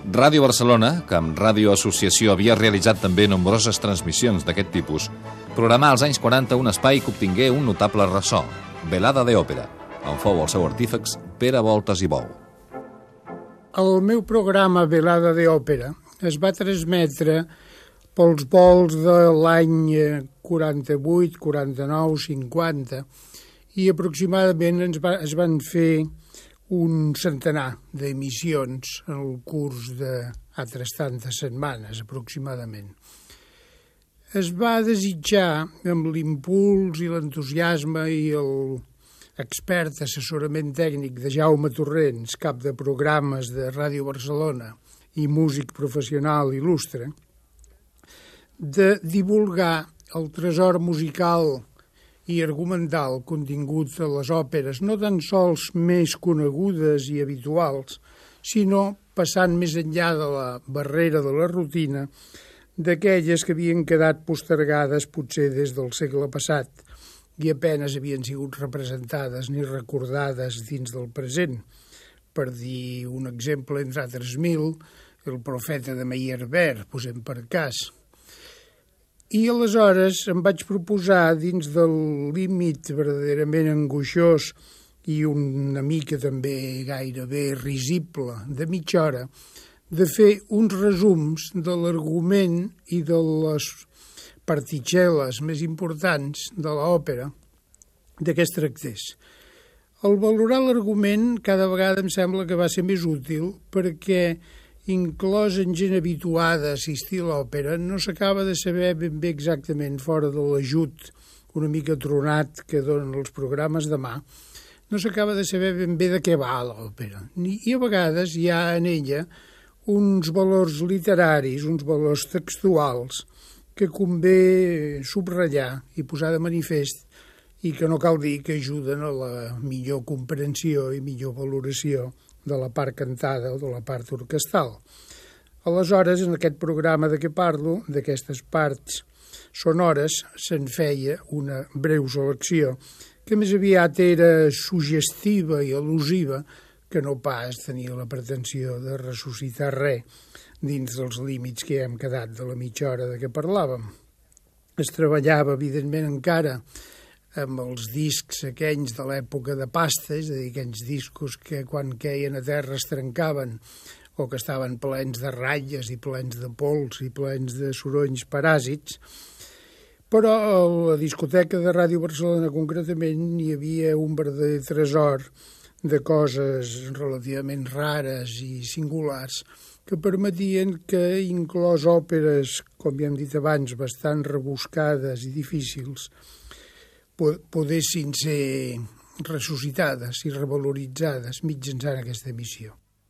Ràdio Barcelona, que amb Ràdio Associació havia realitzat també nombroses transmissions d'aquest tipus, programà als anys 40 un espai que obtingué un notable ressò, Velada de Òpera, on fou el seu artífex Pere Voltes i Bou. El meu programa Velada de Òpera es va transmetre pels vols de l'any 48, 49, 50 i aproximadament es van fer un centenar d'emissions en el curs d'altres tantes setmanes, aproximadament. Es va desitjar, amb l'impuls i l'entusiasme i l'expert assessorament tècnic de Jaume Torrents, cap de programes de Ràdio Barcelona i músic professional il·lustre, de divulgar el tresor musical i argumental contingut a les òperes, no tan sols més conegudes i habituals, sinó passant més enllà de la barrera de la rutina, d'aquelles que havien quedat postergades potser des del segle passat i apenes havien sigut representades ni recordades dins del present. Per dir un exemple, entre altres mil, el Profeta de Meyerbeer, posem per cas. I aleshores em vaig proposar, dins del límit verdaderament angoixós i una mica també gairebé risible de mitja hora, de fer uns resums de l'argument i de les particel·les més importants de l'òpera de què es tractés. Al valorar l'argument, cada vegada em sembla que va ser més útil perquè inclòs en gent habituada a assistir a l'òpera, no s'acaba de saber ben bé exactament, fora de l'ajut una mica tronat que donen els programes de mà, no s'acaba de saber ben bé de què va l'òpera. I a vegades hi ha en ella uns valors literaris, uns valors textuals, que convé subratllar i posar de manifest i que no cal dir que ajuden a la millor comprensió i millor valoració de la part cantada o de la part orquestral. Aleshores, en aquest programa de què parlo, d'aquestes parts sonores, se'n feia una breu selecció, que més aviat era suggestiva i al·lusiva, que no pas tenia la pretensió de ressuscitar res dins dels límits que hem quedat de la mitja hora de què parlàvem. Es treballava, evidentment, encara amb els discs aquells de l'època de pasta, és a dir, aquells discos que quan queien a terra es trencaven o que estaven plens de ratlles i plens de pols i plens de sorolls paràsits, però a la discoteca de Ràdio Barcelona concretament hi havia un verdader tresor de coses relativament rares i singulars que permetien que, inclòs òperes, com ja hem dit abans, bastant rebuscades i difícils, podessin ser ressuscitades i revaloritzades mitjançant aquesta emissió.